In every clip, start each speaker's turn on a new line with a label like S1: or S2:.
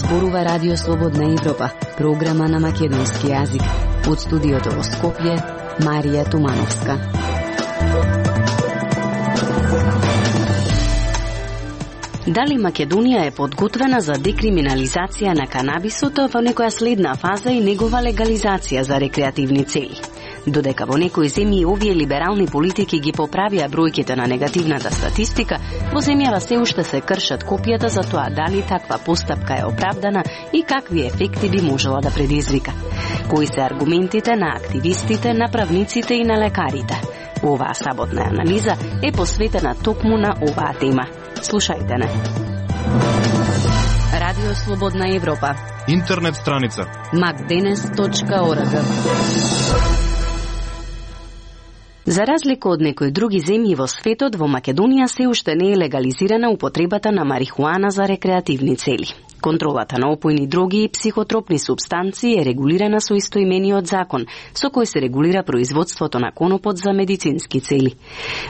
S1: зборува Радио Слободна Европа, програма на македонски јазик. Од студиото во Скопје, Марија Тумановска. Дали Македонија е подготвена за декриминализација на канабисот во некоја следна фаза и негова легализација за рекреативни цели? Додека во некои земји овие либерални политики ги поправија бројките на негативната статистика, во земјава се уште се кршат копијата за тоа дали таква постапка е оправдана и какви ефекти би можела да предизвика. Кои се аргументите на активистите, на правниците и на лекарите? Оваа саботна анализа е посветена токму на оваа тема. Слушајте не. Радио Слободна Европа.
S2: Интернет страница
S1: macdenes.org. За разлика од некои други земји во светот, во Македонија се уште не е легализирана употребата на марихуана за рекреативни цели. Контролата на опојни дроги и психотропни супстанции е регулирана со истоимениот закон, со кој се регулира производството на конопот за медицински цели.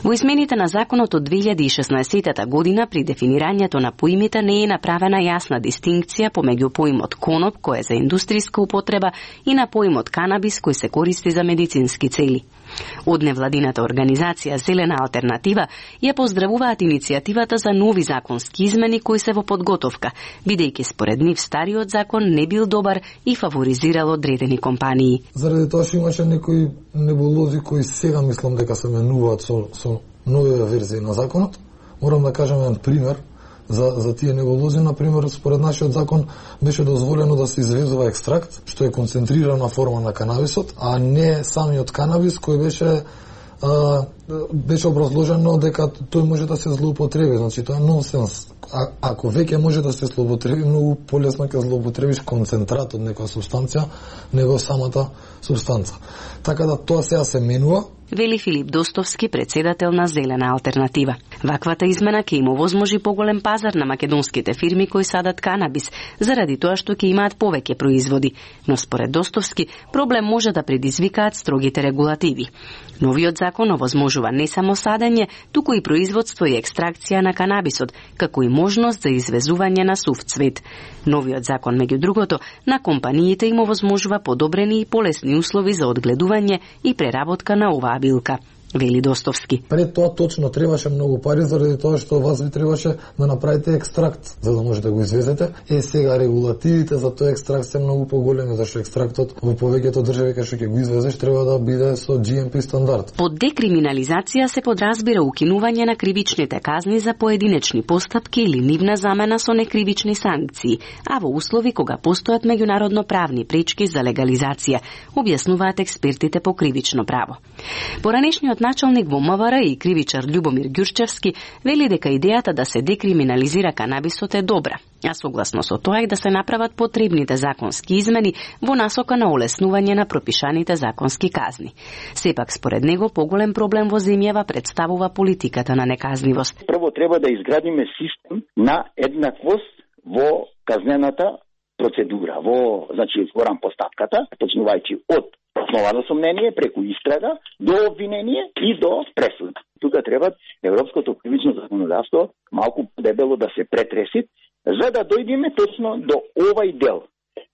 S1: Во измените на законот од 2016 година при дефинирањето на поимите не е направена јасна дистинкција помеѓу поимот коноп, кој е за индустријска употреба, и на поимот канабис, кој се користи за медицински цели. Од невладината организација Зелена алтернатива ја поздравуваат иницијативата за нови законски измени кои се во подготовка, бидејќи според нив стариот закон не бил добар и фаворизирал одредени компании.
S3: Заради тоа што имаше некои небулози кои сега мислам дека се менуваат со нови верзии на законот. Морам да кажам еден пример за тие небулози. Например, според нашиот закон беше дозволено да се извезува екстракт, што е концентрирана форма на канабисот, а не самиот канабис кој беше образложено дека тој може да се злоупотреби. Значи, тоа е нонсенс. Ако веќе може да се злоупотреби, многу полесно ќе злоупотребиш концентрат од некоја субстанција, него самата субстанца. Така да тоа сега се менува.
S1: Вели Филип Достовски, председател на Зелена алтернатива. Ваквата измена ќе им овозможи поголем пазар на македонските фирми кои садат канабис, заради тоа што ќе имаат повеќе производи. Но според Достовски, проблем може да предизвикаат строгите регулативи. Новиот закон овозможува не само садење, туку и производство и екстракција на канабисот, како и можност за извезување на сув цвет. Новиот закон, меѓу другото, на компаниите им овозможува подобрени и полесни услови за одгледување и преработка на оваа билка, вели Достовски.
S3: Пред тоа точно требаше многу пари, заради тоа што вас ви требаше да направите екстракт, за да можете да го извезете. Сега регулативите за тој екстракт се многу поголеми, зашто екстрактот во повеќето држави кај што ќе го извезеш треба да биде со GMP стандард.
S1: Под декриминализација се подразбира укинување на кривичните казни за поединечни постапки или нивна замена со некривични санкции, а во услови кога постојат меѓународно правни пречки за легализација, објаснуваат експертите по кривично право. Поранешниот началник во МВР и кривичар Љубомир Ѓурчевски вели дека идејата да се декриминализира канабисот е добра, а согласно со тоа и да се направат потребните законски измени во насока на олеснување на пропишаните законски казни. Сепак, според него, поголем проблем во земјава представува политиката на неказнивост.
S4: Прво треба да изградиме систем на еднаквост во казнената процедура, значи во рампостапката, почнувајќи од основано сомнение, преку истрага, до обвинение и до пресуда. Тука треба европското кривично законодавство малку дебело да се претреси, за да дојдеме точно до овај дел,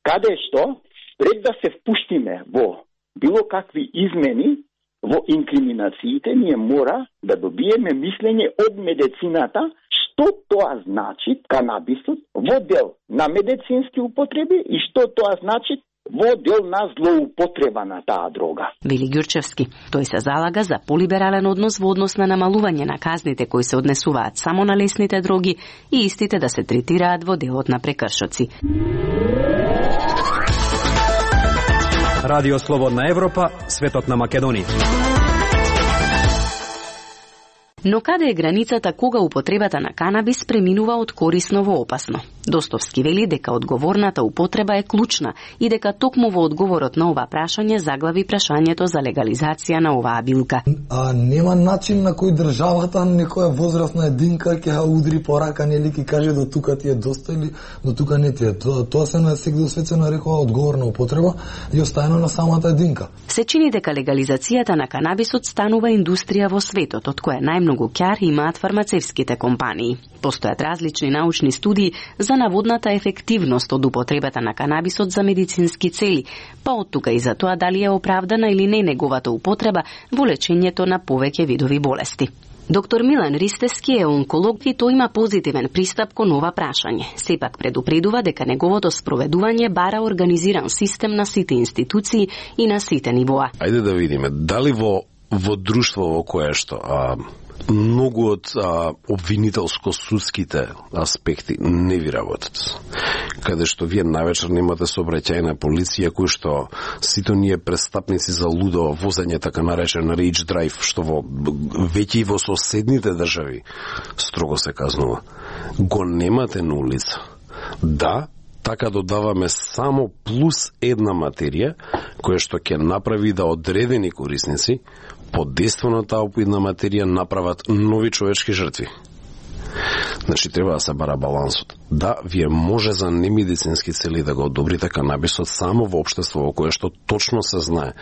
S4: каде што, пред да се впуштиме во било какви измени во инкриминациите, ние мора да добиеме мислење од медицината, што тоа значи канабисот во дел на медицински употреби и што тоа значи во дел на злоупотреба на таа дрога.
S1: Вели Ѓурчевски. Тој се залага за полиберален однос во однос на намалување на казните кои се однесуваат само на лесните дроги и истите да се третираат во делот на прекршоци.
S5: Радио Слободна Европа, светот на Македонија.
S1: Но каде е границата кога употребата на канабис преминува од корисно во опасно? Достовски вели дека одговорната употреба е клучна и дека токму во одговорот на ова прашање заглави прашањето за легализација на оваа билка.
S3: Нема начин на кој државата некоја возрастна единка ќе ја удри по рака, нели ќе каже до тука ти е доста или до тука не ти е. Тоа се на секој свет се нарекува одговорна употреба и оставено на самата единка.
S1: Се чини дека легализацијата на канабисот станува индустрија во светот, од која најмногу ќар имаат фармацевските компании. Постојат различни научни студии за за наводната ефективност од употребата на канабисот за медицински цели, па од тука и за тоа дали е оправдана или не неговата употреба во лечењето на повеќе видови болести. Доктор Милан Ристески е онколог и тој има позитивен пристап кон ова прашање. Сепак предупредува дека неговото спроведување бара организиран систем на сите институции и на сите нивоа.
S2: Ајде да видиме дали во друштво во кое што многу од обвинителско-судските аспекти не ви работат. Каде што вие навечер немате сообраќајна полиција кој што сите ние престапници за лудо возење, така наречен rage drive, што веќе и во соседните држави строго се казнува. Го немате на улица. Да, така додаваме само плюс една материја која што ќе направи да одредени корисници под дејство на таа опоидна материја направат нови човечки жртви. Значи, треба да се бара балансот. Да, вие може за немедицински цели да го одобрите канабисот само во општество во кое што точно се знае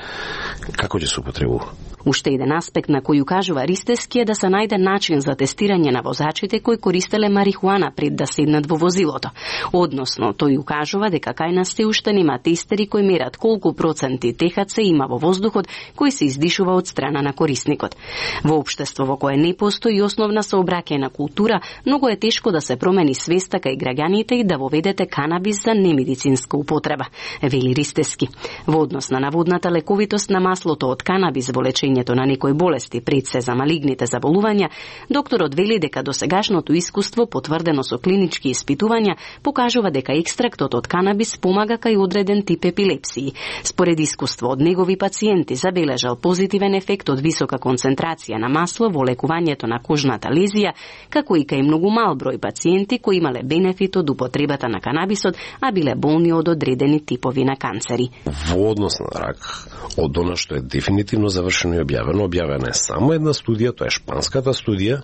S2: како ќе се употребува.
S1: Уште еден аспект на кој укажува Ристески е да се најде начин за тестирање на возачите кои користеле марихуана пред да седнат во возилото. Односно, тој укажува дека кај нас се уште нема тестери кои мерат колку проценти ТХЦ има во воздухот кој се издишува од страна на корисникот. Во општество во кое не постои основна сообраќајна култура, многу е тешко да се промени свеста кај граѓаните и да воведете канабис за немедицинска употреба, вели Ристески. Во однос на наводната лековитост на маслото од канабис во лечењето на некои болести, пред се за малигните заболувања, докторот вели дека досегашното искуство, потврдено со клинички испитувања, покажува дека екстрактот од канабис помага кај одреден тип епилепсии. Според искуство од негови пациенти забележал позитивен ефект од висока концентрација на масло во лекувањето на кожната лезија, како и кај многу мал број пациенти кои имале бенефит од употребата на канабисот, а биле болни од одредени типови на канцери.
S2: Во однос на рак, од она што е дефинитивно завршено и објавена е само една студија, тоа е шпанската студија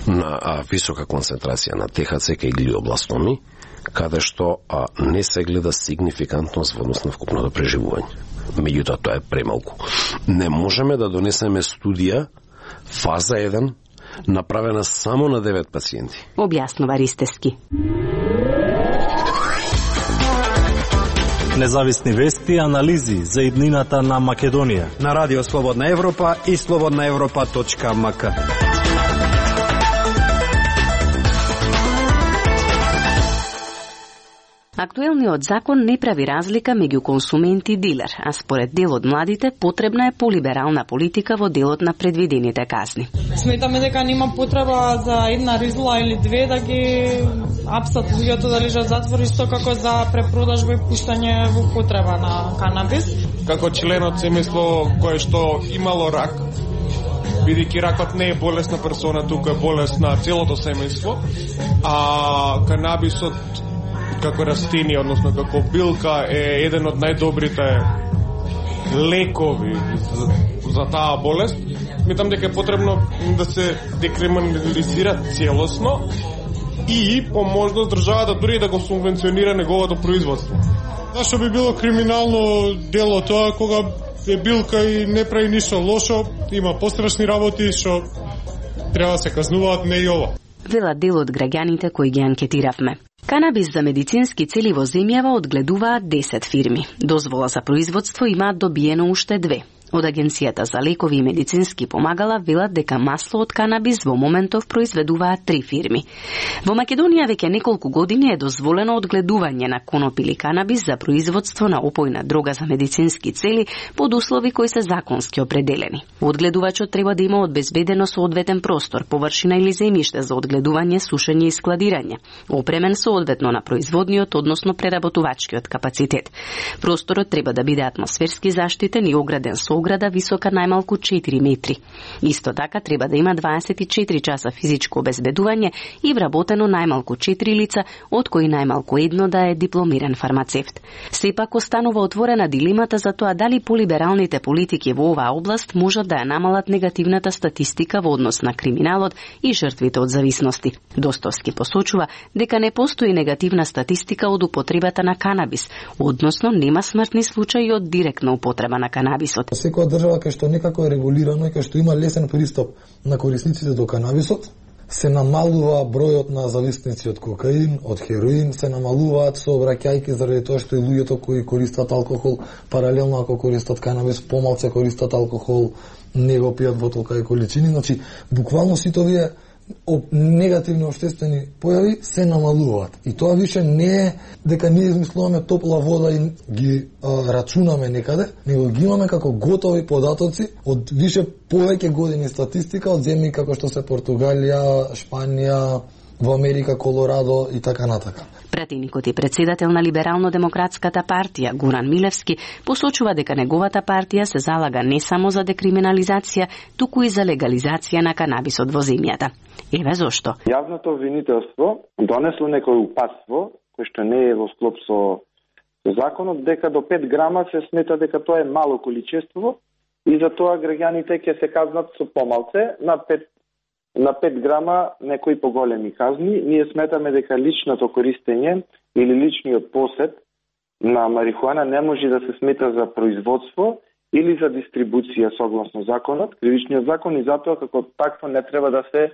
S2: на висока концентрација на ТХЦ кај глиобластоми, каде што не се гледа сигнификантност во однос на вкупното преживување. Меѓутоа, тоа е премалку. Не можеме да донесеме студија фаза 1 направена само на 9 пациенти.
S1: Објаснува Ристески.
S6: Независни вести и анализи за иднината на Македонија.
S5: На Радио Слободна Европа и slobodnaevropa.mk.
S1: Актуелниот закон не прави разлика меѓу консумент и дилер, а според дел од младите потребна е полиберална политика во делот на предвидените казни.
S7: Сметаме дека нема потреба за една ризла или две да ги апсат луѓето да лежат затвор, исто како за препродажба и пуштање во потреба на канабис.
S8: Како член од семејство кое што имало рак, бидејќи ракот не е болест на персона, туку е болест на целото семејство, а канабисот како растение, односно како билка, е еден од најдобрите лекови за таа болест. Сметам дека е потребно да се декриминализира целосно и по можност државата дури да го субвенционира неговото производство.
S9: Зашто би било криминално дело тоа кога е билка и не прави ништо лошо, има пострашни работи што треба да се казнуваат, не и ова.
S1: Велат дел од граѓаните кои ги анкетиравме. Канабис за медицински цели во земјава одгледуваат 10 фирми. Дозвола за производство имаат добиено уште 2. Од Агенцијата за лекови и медицински помагала велат дека масло од канабис во моментов произведуваат 3 фирми. Во Македонија веќе неколку години е дозволено одгледување на коноп или канабис за производство на опојна дрога за медицински цели под услови кои се законски определени. Одгледувачот треба да има обезбедено соодветен простор, површина или земјиште за одгледување, сушење и складирање, опремен соодветно на производниот, односно преработувачкиот капацитет. Просторот треба да биде атмосферски заштитен и ограден со ограда висока најмалку 4 метри. Исто така треба да има 24 часа физичко обезбедување и вработено најмалку 4 лица, од кои најмалку едно да е дипломиран фармацевт. Сепак останува отворена дилемата за тоа дали полибералните политики во оваа област можат да ја намалат негативната статистика во однос на криминалот и жртвите од зависности. Достовски посочува дека не постои негативна статистика од употребата на канабис, односно нема смртни случаи од директна употреба на канабисот.
S3: Секоја држава кај што некако е регулирано и кај што има лесен пристап на корисниците до канабисот, се намалува бројот на зависници од кокаин, од хероин, се намалуваат сообраќајки заради тоа што и луѓето кои користат алкохол, паралелно ако користат канабис, помалце користат алкохол, не го пијат во толкави количини. Значи, буквално сите овие негативни општествени појави се намалуваат. И тоа више не е дека ние измислуваме топла вода и ги рачунаме некаде, него ги имаме како готови податоци од више повеќе години статистика од земји како што се Португалија, Шпанија, во Америка, Колорадо и така натака.
S1: Пратеникот и председател на Либерално-демократската партија Гуран Милевски посочува дека неговата партија се залага не само за декриминализација, туку и за легализација на канабисот во земјата. Еве зошто.
S10: Јавното обвинителство донесло некој упатство кој што не е во склоп со законот, дека до 5 грама се смета дека тоа е мало количество и затоа граѓаните ќе се казнат со помалце на 5 грама некои поголеми казни. Ние сметаме дека личното користење или личниот посед на марихуана не може да се смета за производство или за дистрибуција согласно законот, кривичниот закон, и затоа како такво не треба да се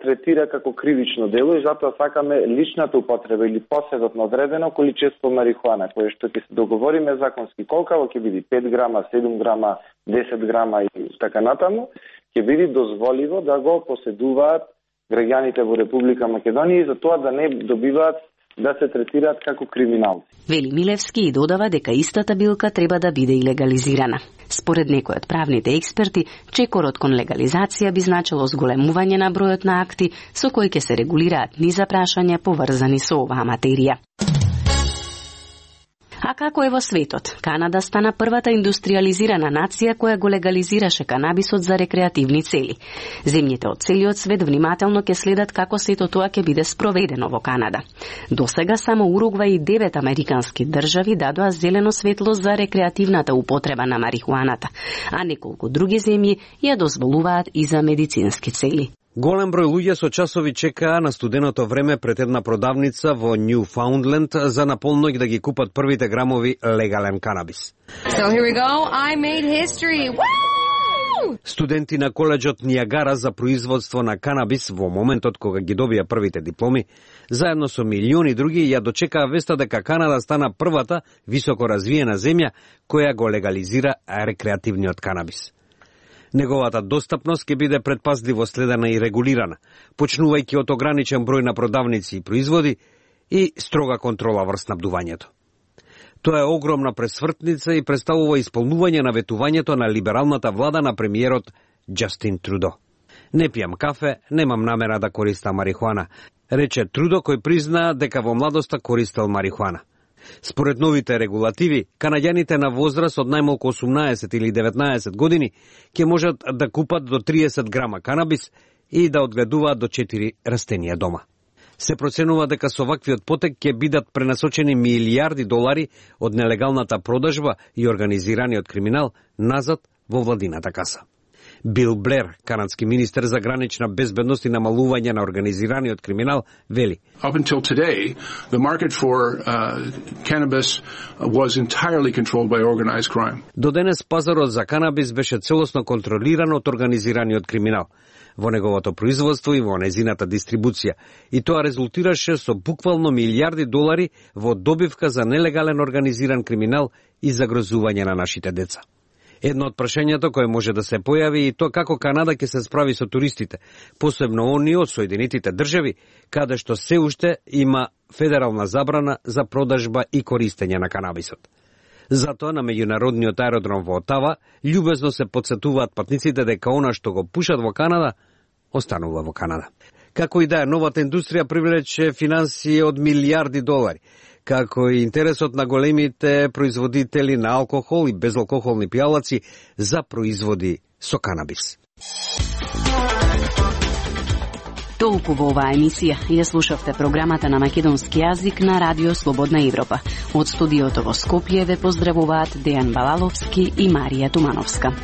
S10: третира како кривично дело, и затоа сакаме личната употреба или поседот на одредено количество марихуана, кое што ќе се договориме законски колкаво ќе биде 5 грама, 7 грама, 10 грама и така натаму, ќе биде дозволиво да го поседуваат граѓаните во Република Македонија и за тоа да не добиваат да се третираат како криминалци.
S1: Вели Милевски и додава дека истата билка треба да биде и легализирана. Според некои од правните експерти, чекорот кон легализација би значило зголемување на бројот на акти со кои ќе се регулираат низа прашања поврзани со оваа материја. А како е во светот? Канада стана првата индустриализирана нација која го легализираше канабисот за рекреативни цели. Земјите од целиот свет внимателно ќе следат како сето тоа ќе биде спроведено во Канада. Досега само Уругвај и 9 американски држави дадоа зелено светло за рекреативната употреба на марихуаната, а неколку други земји ја дозволуваат и за медицински цели.
S5: Голем број луѓе со часови чекаа на студеното време пред една продавница во Ньюфаундленд за наполноќ да ги купат првите грамови легален канабис.
S11: So here we go. I made history. Woo!
S5: Студенти на коледжот Ниагара за производство на канабис во моментот кога ги добија првите дипломи, заедно со милиони други ја дочекаа веста дека Канада стана првата високо развиена земја која го легализира рекреативниот канабис. Неговата достапност ќе биде предпазливо следена и регулирана, почнувајќи од ограничен број на продавници и производи и строга контрола врз снабдувањето. Тоа е огромна пресвртница и представува исполнување на ветувањето на либералната влада на премиерот Џастин Трудо. Не пијам кафе, немам намера да користам марихуана, рече Трудо, кој призна дека во младоста користел марихуана. Според новите регулативи, канаѓаните на возраст од најмалку 18 или 19 години ќе можат да купат до 30 грама канабис и да одгледуваат до 4 растенија дома. Се проценува дека со ваквиот потек ќе бидат пренасочени милијарди долари од нелегалната продажба и организираниот криминал назад во владината каса. Бил Блер, канадски министер за гранична безбедност и намалување на организираниот криминал, вели:
S12: Up until today, the market for cannabis was entirely controlled by organized crime.
S5: До денес пазарот за канабис беше целосно контролиран од организираниот криминал во неговото производство и во незината дистрибуција, и тоа резултираше со буквално милијарди долари во добивка за нелегален организиран криминал и загрозување на нашите деца. Едно од прашањето кое може да се појави и тоа како Канада ќе се справи со туристите, посебно оние од Соединетите држави, каде што се уште има федерална забрана за продажба и користење на канабисот. Затоа на меѓународниот аеродром во Отава љубезно се потсетуваат патниците дека она што го пушат во Канада, останува во Канада. Како и да е, новата индустрија привлече финансии од милијарди долари, како и интересот на големите производители на алкохол и безалкохолни пијалаци за производи со канабис.
S1: Толку во оваа емисија. Ја слушавте програмата на македонски јазик на Радио Слободна Европа. Од студиото во Скопје ве поздравуваат Дејан Балаловски и Марија Тумановска.